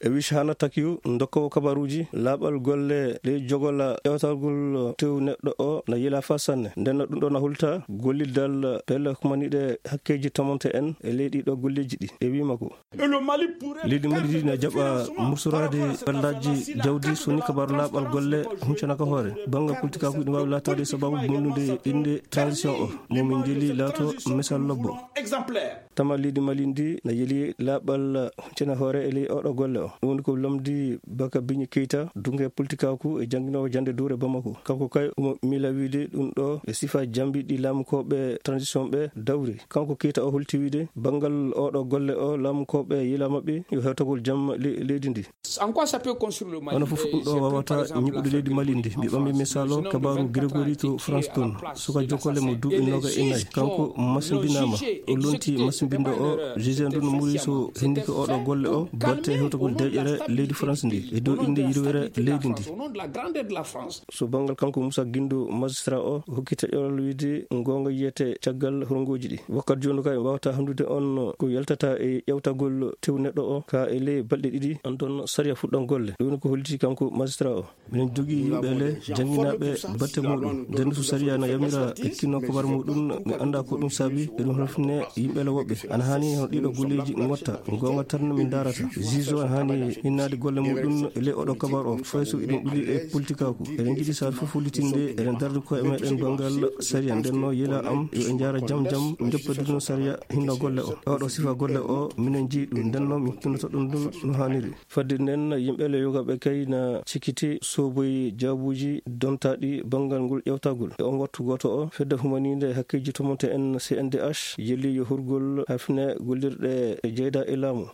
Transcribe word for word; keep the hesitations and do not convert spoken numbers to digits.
E Wishana Takio, dokkoowo kabaruuji, laaɓal golle ley jogola ƴeewtagol tew neɗɗo o na yila faa sanne. Nden no ɗum ɗo na hulta gollidal pelle humaniiɗe hakkeeji tamonte en e ley ɗii ɗo golleeji ɗi. E wii makko, leydi Mali ndi na jaɓa mursoraade ballaaji jawdi so ni kabaaru laaɓal golle huncana ka hoore. Banngal politikaaku ɗum waawi laataade sababu bonnude innde transition o, mo min njeli laato misal lobbo. Tama leydi Mali ndi na yeli laaɓal huncana hoore e ley oɗo golle o. Ɗum woni ko lamdi Baka Biñi Keita, dunke politikaaku e jannginoowo jannde duure Bamako. Kanko kay omo miila wiide ɗum ɗo e sifa jambi ɗi laamukooɓe transition ɓe dawri. Kanko Keita o holti wiide banngal oɗo golle o laamukooɓe yila maɓɓe yo hewtagol jam le-, leydi ndi. Hono fof ɗum ɗo waawata ñiɓude leydi Mali ndi. Mi ɓammi misal o kabaaru Grégory to France toon. Suka jokkole mo duuɓi noga e nayi. Kanko masimbinaama. O lonti masimbinɗo o, juge ndu no muri so hindi ko oɗo golle o, batte hewtagol deƴƴere leydi France ndi. E dow innde yirwere leydi ndi. So banngal kanko Moussa Guindo, magistrat o, hokki taƴoral wiide goonga yiyete caggal hurngooji ɗi. Wakkati jooni kay, waawata hanndude on ko yaltata e ƴeewtagol tew neɗɗo o, ka e ley balɗe ɗiɗi, an toon sariya fuɗɗan golle. Ɗum woni ko holliti kanko magistrat o. Minen jogii yimɓe le jannginaaɓe batte muɗum. Nden so sariya na yamira e kinno kabar muɗum, mi annda ko ɗum saabi, eɗum halfine yimɓe le woɓɓe. Ana haani hono ɗiɗo golleeji ngotta, goonga tan min ndarata. Juge o ana haani hinnaade golle muɗum e ley oɗo kabar o, fay so eɗum ɗuli e politikaaku. Eɗen njiɗi saabe fof hollitinde, eɗen dardi koye meɗen banngal sariya. Nden no yela am yo en njaara jam jam, joppadino sariya hinno golle o. Oɗo sifa golle o, minen njiyi ɗum. Nden no min kinnoto ɗum ɗum no haaniri. Fadde nden, yimɓe le yogaaɓe kay na cikkiti soboyi jaabuuji dontaaɗi banngal ngol ƴeewtagol. E on wattu gooto o, fedde humaniinde hakkeeji tomonte en C N D H yeli yo hurgol hafne gollirɗe jeyda e laamu.